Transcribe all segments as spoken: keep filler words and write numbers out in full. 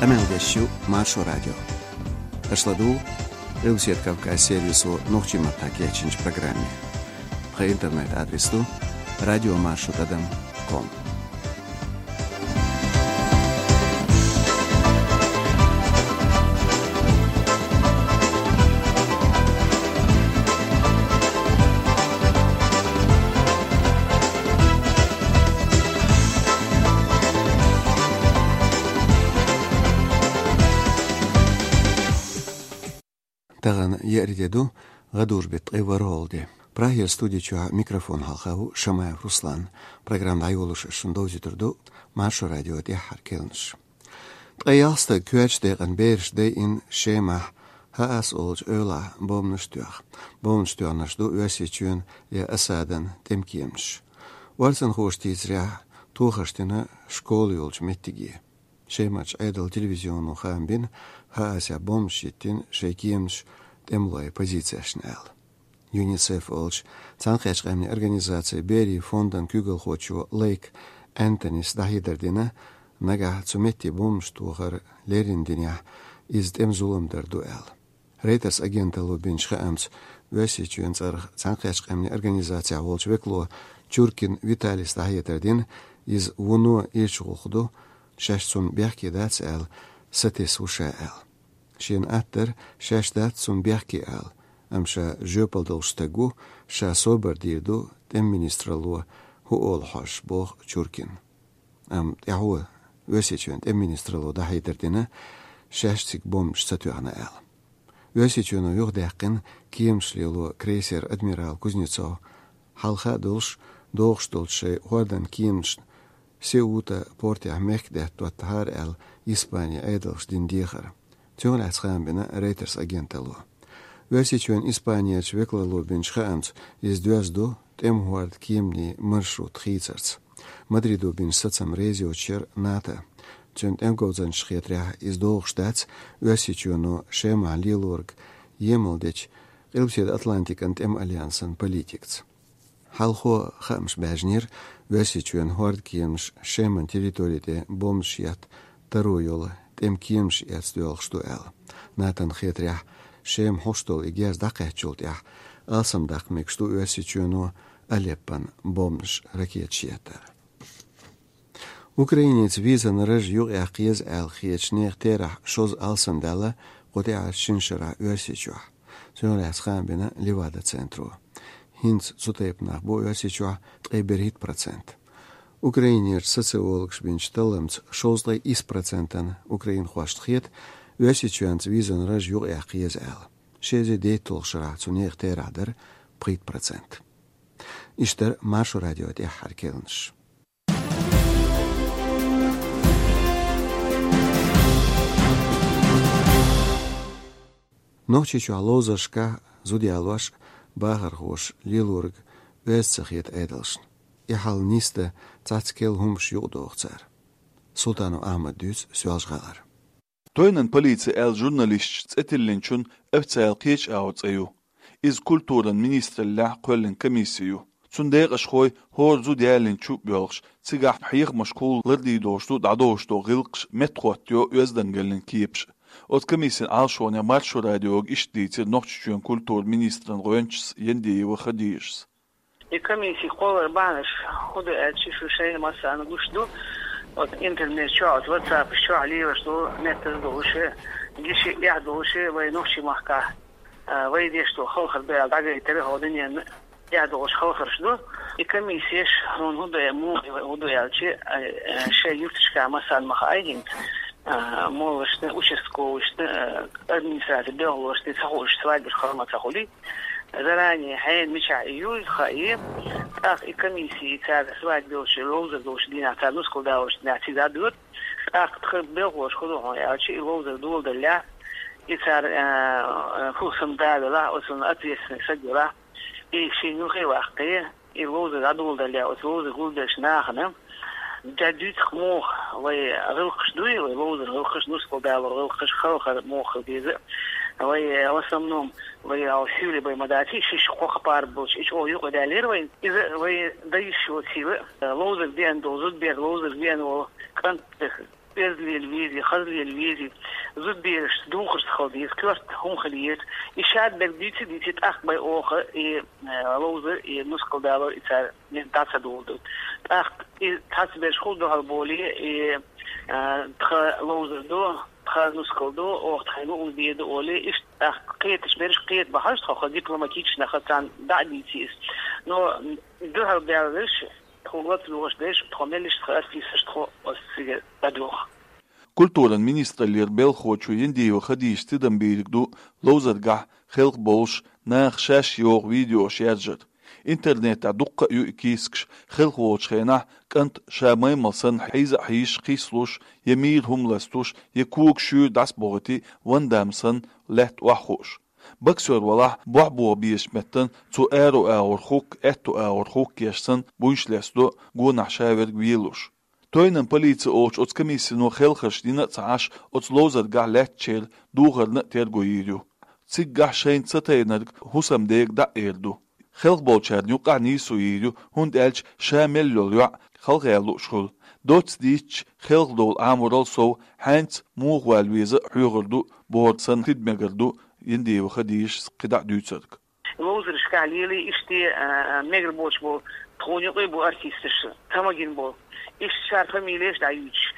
Къамел деш ю Маршо радио. Аша ладугӀу Къилбаседа Кавказ сервисо нохчийн маттахь кечйинчу программе. Тхан интернет-адрес ду радиомаршо тӀадам ком. Тахана еара де ду, гӀадужу беттан ткъе ворхӀалгӀа де. Прагера студи чохь микрофон хьалха ву Шамаев Руслан. Программа дӀайолош ас шуна довзуьйтур ду Маршо радион тӀаьххьара керланаш. Ткъе ялх стаг коьртачу декъана бераш дайина Шемахь Хаъас олучу эвлахь бомбанаш а тоьхна. Бомбанаш тоьхнарш ду Оьрсийчоьнан я Асадан тӀеман кеманаш. Орцанхоша дийцарехь, тохарш дина школа йолчу меттиге. Шемарчу Ӏедалан телевизионо хаам бина, Хаъасехь бомбанаш йиттина шайн кеманаш тӀемалойн позицешна аьлла. ЮНИСЕФ олучу Цхьаьнакхеттачу Къаьмнийн Организацин берийн фондан куьйгалхочо Лейк Энтонис дӀахьедар дина, нагахь цу метте бомбанаш тохар леррина динехь, иза тӀеман зулам дар ду аьлла. Рейтерс агенталло бинчу хаамца, Оьрсийчоьнан цӀарах Цхьаьнакхеттачу Къаьмнийн Организацехь волчу векало Чуркин Виталис дӀахьедар дина, иза вуно ирча гӀуллакх ду, шаьш цунна бехке дац аьлла, сатесна ву ша аьлла. Шена атта дара, шаьш дац цунна бехке ала, амма ша жоьпалла долуш стаг ву, ша собар дийр ду тӀеман министралло хӀун олу хьожуш, боху Чуркина. Амма тӀаьхьо Оьрсийчоьнан тӀеман министралло дӀахьедар дина, шаьш цига бомбанаш ца тоьхна аьлла. Оьрсийчоьно юхадаьккхина кеманаш лело крейсер «Адмирал» Кузнецов, хьалха а долуш, догӀуш долчу шайн хӀордан кеманашна Сеута портехь мехкдаьтта доттахьара аьлла, Испанин Ӏедалша дина дехар. Цунах лаьцна хаам бина Рейтерс агенталло. Оьрсийчоьнан Испанерчу векалло бинчу хаамца, иза доьзна ду тӀеман хӀордан кеманийн маршрут хийцарца. Мадридо бинчу сацамна реза йоцуш яра НАТО. Цуьнан тӀеман говзанчаша хетарехь, иза догӀуш дац Оьрсийчоьно Шемахь лелориг емал дечу Къилбаседа Атлантикан тӀеман альянсан политикаца. Хьалхо хаамаш баьржинера, Оьрсийчоьнан хӀордан кеманаш Шеман территори тӀе бомбанаш етта таро йолу тӀеман кеманаш эцна доьлхуш ду аьлла. НАТОн хетарехь, Шема хьош долу и герз дӀакхаьчначул тӀаьхьа алсамдаккха мегаш ду Оьрсийчоьно Алеппона бомбанаш, ракеташ еттар. Украинерчу визан раж юкъаяккха еза аьлла хетачу нехан терахь шозза алсамдаьлла кху тӀаьххьарчу шина шарахь Оьрсийчохь. Цунах лаьцна хаам бина Левада-центро. ХӀинца цу тайпа нах бу Оьрсийчохь ткъе берхӀитта процент. Украинерчу социологаша бинчу талламца шовзткъе исс процентана украинхошна хета, Оьрсийчоьнца визан раж юкъаяккха еза аьлла. Ши эзар дейтталгӀачу шарахь цу нехан терахь дара пхийтта процент. Иштта дара Маршо радион тӀаьххьара керланаш. Нохчийчохь ловзаршкахь зуда ялош, бахархоша лелориг оьзда ца хета Ӏедалшна. И хьал нисдан цхьацца керла хӀуманаш юкъадоху цара. Султанов Ахьмада дуьйцу Соьлжа-ГӀалара. Тойнан полици аьлла журналисташна цӀе тиллинчун официалан кхечу агӀор цӀе ю. Иза культуран министраллехь кхоьллина комисси ю. Цуьнан декъашхой хӀора зуда ялийначу боьлхуш, цигахь хьехамашкахула лардийр долуш ду дӀадовш долу гӀиллакхаш, меттахӀоттайо оьздангаллин кепаш. Оцу комиссин Ӏалашонехь Маршо радиога иштта дийцира Нохчийчоьнан культуран министран гӀоьнчас Яндиева Хадижас. И комиссин кхолларан бахьанаш хӀун ду аьлча, шу шайна массарна гуш ду. Оцу интернет чохь, оцу WhatsApp чохь лелаш долу, меттаза долуш, гича эхь долуш, вай нохчийн махкахь, а, вай деш долу хелхар ду аьлла дӀагайтар, хӀокху дуьненна эхь долуш хелхарш ду. И комиссеш хӀун ду, муха хӀун ду аьлча, а, а, шайн юьрташкахь массарна ма хаьа хӀинца, а, моллашна, участковыйшна, а, администрацин белхалошна ца хууш свадьбаш хала ма ца хуьлий. Заранее хьенан мичахь и юй хаьий, тӀаккха и комисси цара свадьба йолчу, ловзар долчу дийнахь, цара нускал далочу дийнахь цига дӀадоьду. ТӀаккха тхан белхалоша хӀун ду хьуна аьлча, и ловзар доладаллехь, и цара, а, а, фусам да велахь, оцунна ответственный саг велахь, и шен юххе ваккхий, и ловзар дӀадоладаллехь, оцу ловзар гулбеллачу нахана, ДӀадуьйцу муха вай гӀиллакхаш дуй, вай ловзар гӀиллакхаш, нускал далор гӀиллакхаш, хелхар муха хила деза. Вай, э, в основном, вай хьо сийле бай ма даций, шиш кхо кхапар болчу, и чӀогӀа юкъа даьллера вайн. Иза вай дан йиш йоцийла, э, ловзар деана долу зудбер, ловзар деана волу кӀант, Эзлел визи, хазлел визи, зудбераш духарс халдиз, кёрт хум халиет. И шад бер дици дици тахт бай оха, и э, лоузер, и нускал далор, и цар не таца дулду. Тахт и тац берш хул дохал боли, и э, тха лоузер ду, тха нускал ду, ох тхайгу ул беду оли, иш тахт кхеташ берш кхет бахаш, тха дипломатично хацан да дицис. Но дохал бялыш, тхо лоц лугаш деш, тхо мелиш тха артисаш тхо осциге бадох. Культуран министраллера белхочо Яндиева Хадижас тидам бийриг ду ловзаргахь хелх болуш нах шаьш йогӀу видеош яржар. Интернетехь дуккха а ю и кийсакаш хелх волчу хенахь кӀант ша маймал санна хьийза а хьийзаш кхийсалуш, я мийра хӀума ластуш, я кога шуьйра дӀасабохуьйтий Ван Дам санна лаьтта охьахууш. Боксер валахь, бохь боха безачу меттана цо аьрру агӀор хӀукка, аьтту агӀор хӀукка еш санна буйнаш лестадо, гонахь ша верг велуш. Тойнан полици олучу оцу комиссино хелхарш дина а ца Ӏаш, оцу ловзаргахь лаьттачеран духарна а терго йийр ю. Циггахь шайна ца тайнарг хӀусамдега дӀа а эр ду. Хелхболчарна юкъахь нийсо йийр ю, хӀунда аьлча ша мел йолу йоӀ халха яла лууш хуьлу. Доцца дийцича, хелхадовла Ӏаморал сов, хьаьнца муха вала веза а хьоьхур ду, бохург санна тидам мегар ду Яндиева Хадижас кхидӀа а дуьйцург. Ловзаршкахь лелий иштта, а, мегар боцуш болу, тхуна юкъе бу артисташ, ца магина болу. Иштта шара фамилеш дӀаюьйцуш.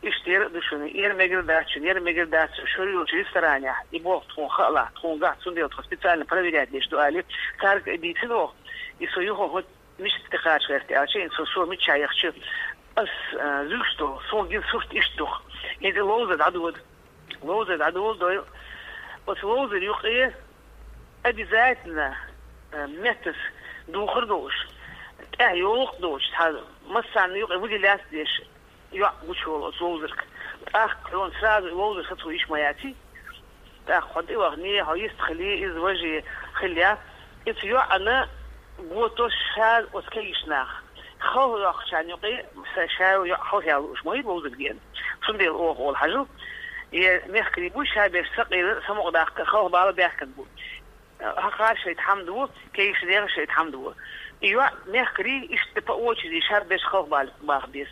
Иштта яра а ду шуна, яра мегар дац шуна, яра мегар дац шуна, шура йолчу ресторанехь, и боху тхуна хаалахь, тхуна гахь, цундела тхо специально проверять деш ду, али, цаьрга а дийцина воху, и со юха хӀун мишта тӀекхача гӀерта аьлча, и со, со мичча яхча, ас, а, зуьйш долу, суна гина сурт иштта ду-кх. ХӀинца ловзар дӀадода. Ловзар дӀадоладойла. Оцу ловзар юкъе обязательно, э, меттас духар долуш, тӀаьхьа йолу а долуш, цхьа массарна юкъе вуди лаьцна деш, йоӀ гучуволу оцу ловзарг. ТӀаккха хьуна сразу и ловзар сацо йиш ма яций. ТӀаккха хьо тӀе вахана, хьо йист хили, иза важа хилла. Иза йоӀана гото ша оцу кегийчу нах. Халха йоккхучарна юкъе ша йоӀ халха яла лууш ма ю ловзар гена. Цундела оха олу хьажал, и мехкарий буй ша берш ца къийла, самукъадаккха, халха бала баьхкина бу. Хьан кхара шайта хьамда ву, кегийчу нехан шайта хьамда ву. И йоӀ мехкарий иштта по очереди ша берш халха бала баха беза.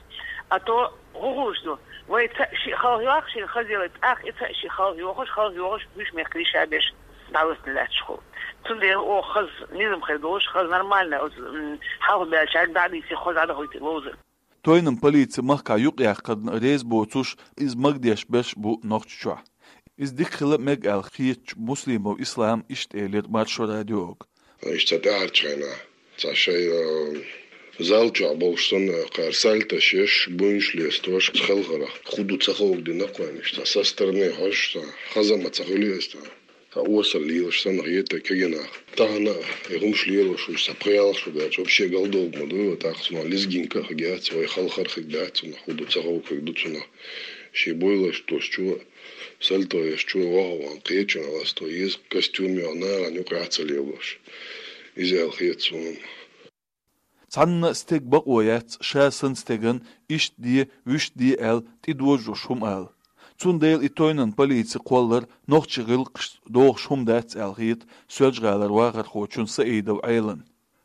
А то хӀун хуьлуш ду? Вай цхьаъ шиъ халха йоккхуш, шайна хаза ялийта, тӀаккха и цхьаъ шиъ халха йохуш, халха йохуш, буьйш мехкарий ша берш дӀалатта лаьтташ хуьлу. Цундела оха хаза низам хир долуш, хаза нормально, оцу, м, хьалха баьллачаьрга дӀа а дийций, хаза дӀадахуьйту ловзар. Тойнан полици махкахь юкъаяккхарна реза боцуш, иза магадеш берш бу Нохчийчохь. Иза дика хила мега аьлла хетачу Муслимов Ислама иштта элира Маршо радиога. Иштта тӀаьхьарчу хенахь цхьа шайн, а, зал чохь болуш санна, кхара сальташ еш, буйнаш лестош, хелхарах. Ху ду ца ховгдина кхойнаш, цхьа со стороны хьожуш, цхьа хаза ма ца хуьлу иза, цхьа осал лелаш санна хета кегий нах. Тахана а и хӀумаш лелош уьш, цхьа пхи-ялх шо даьлча, вообще галдовг ма ду, тӀаккха цунах лезгинка а хиг яц, вай халхар а хиг дац цунах, ху ду ца ховг хиг ду цунах. Шен буйлаш долчо, сальто еш чу ваха ван кхечун ласто еза костюм йохна нахана юкъа ца лелош. Иза аьлла хета суна. Цхьанна а стеган бакъо яц, ша санна стеган иштта де, вуьшта де аьлла, тӀедожош хӀума ала. Цундела и тойнан полици кхоллар нохчийн гӀиллакхашца догӀуш хӀума дац аьлла хета Соьлжа-ГӀалара вахархочун Саидов Ӏелан.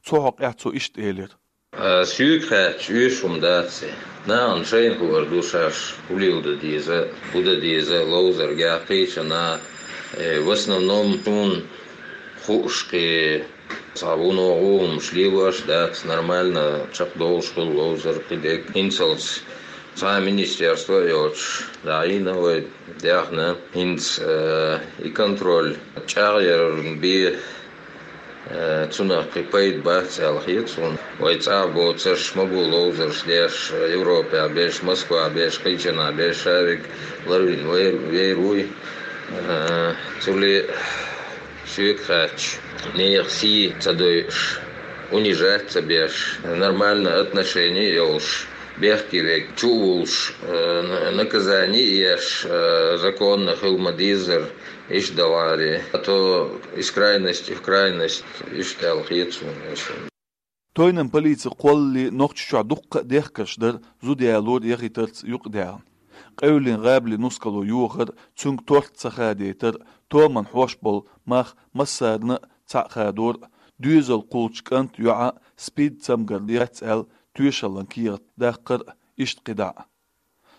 Цу хьокъехь цо иштта элира. А, соьга хаьттича, оьшуш хӀума дац и. Нахана шайна хуур ду шаьш хӀун леладан деза, хӀун дан деза, ловзаргахь, кхечанхьа. Э, в основном суна хууш кхин цхьа вуно гӀо хӀумаш лелош дац, нормально чекхдолуш хуьлу ловзар кхин дерг. ХӀинцалц цхьа а министерство а йоцуш дӀаийна вай, даьхна. ХӀинца, э, и контроль чӀагӀъярна бен, э, цунах кхин пайда бац аьлла хета суна. Вай цӀа а боцурш ма бу ловзарш деш, Европехь берш, Москвахь берш, кхечанхьа берш, ша верг ларвина вер-, вер вуй. Э, цуьлле соьга хаьттича, нехан сий ца дойуш, унижать ца беш, нормально отношение йолуш, бехке верг чу а вуллуш, э, на-, наказание а еш, э, законно хила ма-дезара, иштта даларе. А то из крайности в крайность, иштта аьлла хета суна. Тойнан полици кхоллале Нохчийчохь дуккха а дехкарш дара зуда ялор яхийтарца юкъадаьхна. Къевллин гӀабали нускало йохар, цуьнга торт ца хадийтар, томан хьош болу мах массарна а цхьаъ хадор, доьзал кхуллучу кӀант, йоӀа СПИД цамгар яц аьлла тоьшаллан кехат даккхар, иштта кхидӀа а.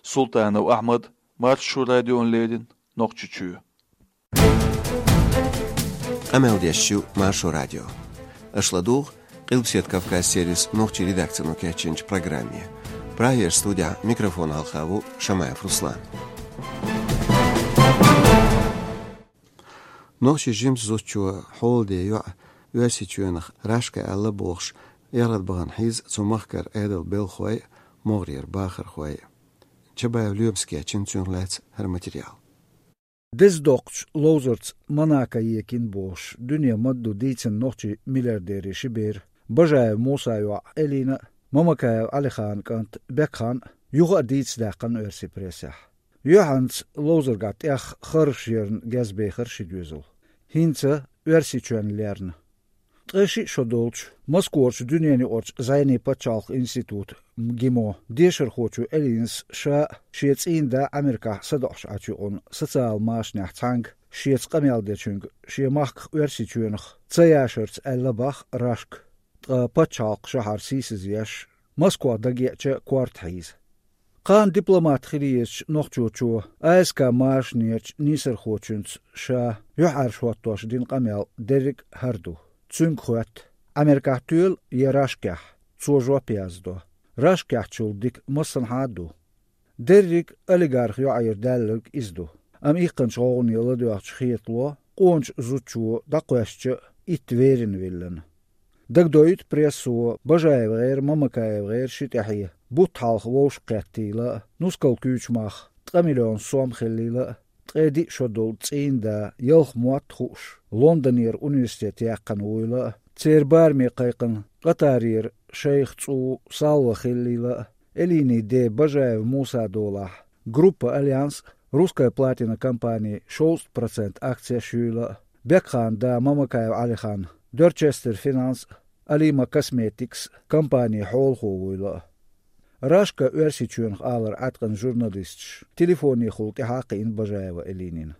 Султанов Ахьмад, Маршо радиона леррина, Нохчийчоь. Къамел деш ю Маршо радио. Аша ладугӀу Къилбаседа Кавказ сервисан нохчийн редакцино кечйинчу программе. Прагера студехь микрофона хьалха ву Шамаев Руслан. Нохчийн жимачу зудчо хьолада йоӀ Оьрсийчоьнах Рашка аьлла бохуш, ярхадбахана хьийза цу махкара Ӏедалан белхахой а, могӀарера бахархой а. Чабаев Лоьмас кечйина цунах лаьцна хӀара материал. Деза доккхачу ловзарца Монако екина бохуш, дуьне ма-дду дийцина нохчийн миллиардерийн ши бер, Бажаев Мусан йоӀ Элина а, Мамакаев Ӏалиханан кӀант Бекхан а, юха а дийца даьккхина оьрсийн прессехь. Юьхьанца ловзаргахь тӀех харжаш ярна гезбехира ши доьзал. ХӀинца Оьрсийчоьнна лерна. Ткъе шиъ шо долчу Москварчу дуьненаюкъарчу зӀенийн пачхьалкхан институтан ГИМО дешархочо Элинас ша а, шен цӀийнан да а Америкахь садоӀуш Ӏачу юкъана социалан машанехь цхьаьнга шеца къамел дечуьнга шен махках Оьрсийчоьнах ца яшарца аьлла боху Рашка, ткъа пачхьалкхан шахьар сийсазъеш, Москвах дагеъча корта хьийза. Кхана дипломат хила езачу нохчочо А С К машанерчу нийсархочуьнца ша юьхьӀаьржа хӀоттош дина къамел дерриг а хӀара ду. Цуьнга хоьтту: Америкахь тоьлу я Рашкехь? Цо жоп яздо: Рашкехьчул дика массанхьа а ду. Дерриг а олигарх йоӀера даьлларг иза ду. Амма иккханчу гӀовгӀане ладоьгӀча хетало, къоначу зудчо дӀакхоьссича а, итт верина виллина. Дагадоуьйту прессо, БажаевгӀеран, МамакаевгӀеран ши тӀаьхье бутт хьалха вовшахкхеттийла а, нускал куьйчу мах ткъа миллион сом хиллийла а, ткъе диъ шо долу цӀийнан да ялх мотт хууш, Лондонера университет яьккхина вуйла а, церан бараме кхайкхина Къатарера шайх цӀу Салва хиллийла а, Элинин ден Бажаев Мусан долахь, группа «Альянс» а, «Русская платина» компанин шовзткъа процент акцеш юйла а, Бекханан да Мамакаев Ӏалихан Дорчестер Финанс а, Алима Косметикс а компанин хьолахо вуйла а. Рашка Оьрсийчоьнах алар Ӏаткъина журналисташ телефонехула тӀаьхьа а кхиъна Бажаева Элинина.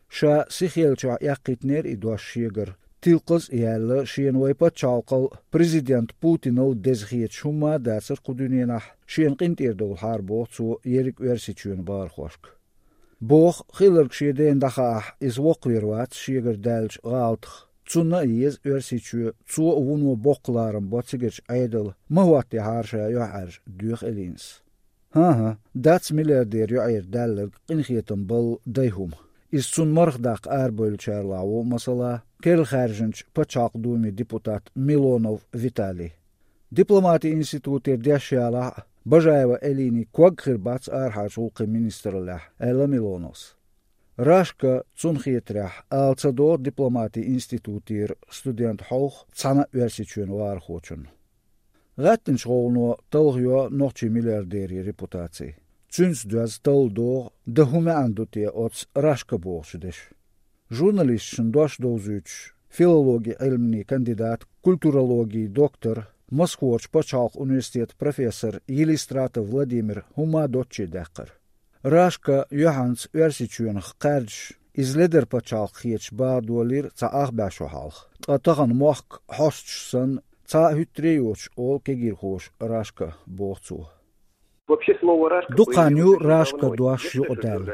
Ша сихъеллачохь эккхийтинера и дош шегара, тилкхаз а яьлла, шена вайн пачхьалкхал а, президент Путинал а деза хеташ хӀумма а дацара кху дуьненахь, шена къинтӀера довлахьара, боху цо, ерриг Оьрсийчоьнан бахархошка. Боху, хилларг шен дена дӀахаахь, иза воккхавер вац шегара даьллачу гӀалатах. Цунна а еза Оьрсийчоь, цо а, вуно боккха ларам бо цигарчу Ӏедалан, ма хӀоттехьара ша юьхьӀаьржа, доьху Элинас. ХӀан-хӀа, дац миллиардеран йоӀера даьлларг къинхетам балла дай хӀума. Иза цунна марха даккха арабевллачарлахь ву, масала, керла хаьржинчу Пачхьалкхан Думин депутат Милонов Виталий. Дипломатин институтера деш ялахь а, Бажаева Элинин ког хир бац арахьарчу гӀуллакхийн министраллехь, аьлла Милоновс. Рашка, цунна хетарехь, ала ца догӀу дипломатин институтера студентан хьовха цхьана а Оьрсийчоьнан вахархочунна. ГӀаьттинчу гӀовгӀано талхайо нохчийн миллиардерийн репутаци. Цуьнца доьзна талла догӀу, дан хӀун маьӀна ду те оцу Рашка бохучу деша. Журналисташна дош довзуьйтуш, филологин Ӏилманийн кандидат, культурологин доктор, Москварчу пачхьалкхан университетан профессор Елистратов Владимир хӀумма а доцчу даьккхира. Рашка юьхьанца Оьрсийчоьнах кхаьрдаш, иза ледара пачхьалкх хеташ бахадолийра цхьа ах бӀе шо хьалха, ткъа тахана мохк хьосташ санна, цхьа а хӀуьттаре а йоцуш олу кегийрхоша Рашка, боху цо. Дукха хан ю Рашка дош юкъадаьлла.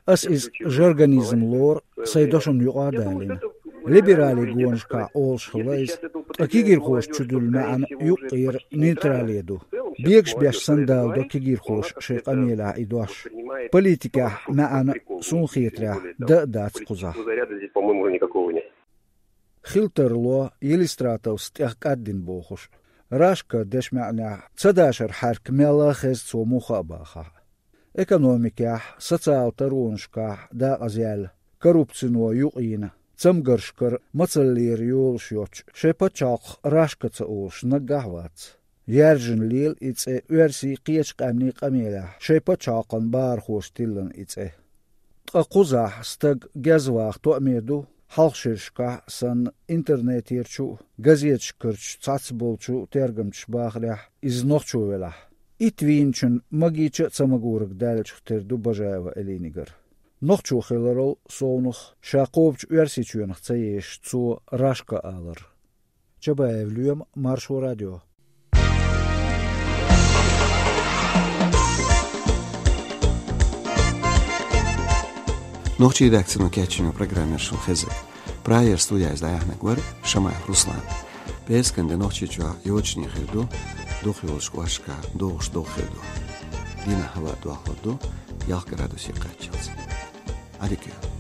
Ас иза жаргонизм лору, сайн дошна юкъа а далийна. Либерале гонашкахь олуш хилла иза, ткъа кегийрхоша чудуьллу маьӀна юккъера нейтрале ду. Бегаш беш санна даладо кегийрхоша шайн къамелехь и дош. Политикехь маьӀна, суна хетарехь, дан а дац кхузахь. Хила тарло Елистратовс тӀех кӀаддина бохуш. Рашка дешан маьӀнехь, ца дашар хьаьрк мелла а хеза цо муха а бахахь. Экономикехь, социалан таронашкахь дакъаза яьлла, коррупцино юкъайина, цамгаршкара мацаллера йолуш йоцчу шайн пачхьалкхах Рашка ца олуш наггахь а вац. Яьржина лела и цӀе оьрсийн, кхечу къаьмнийн къамелехь, шайн пачхьалкхан бахархоша тиллина и цӀе. Ткъа кхузахь стаг гезваха тоъаме ду, хьалхшерашкахь санна, интернетера чу а, газеташкарчу цхьацца болчу тергамчаша бахарехь, иза нохчо велахь. Итт вийначун магийча а ца магораг даьллачух тера ду Бажаева Элинигара. Нохчо хиларал совнах, ша кхобучу Оьрсийчоьнах ца езаш, цо Рашка алар. Чабаев Лоьма, Маршо радио. Нохчийн редакцино кечйина программа яра шун хезар. Прагера студида из дӀаяхьнарг вар Шамаев Руслан. ПӀераскан де Нохчийчохь йочане хир ду, дукхах йолчу кӀошташкахь догӀуш догӀа хир ду. Дийнахь хӀаваъ дохлур ду ялх градусе кхаччалц. Ӏадика йойла.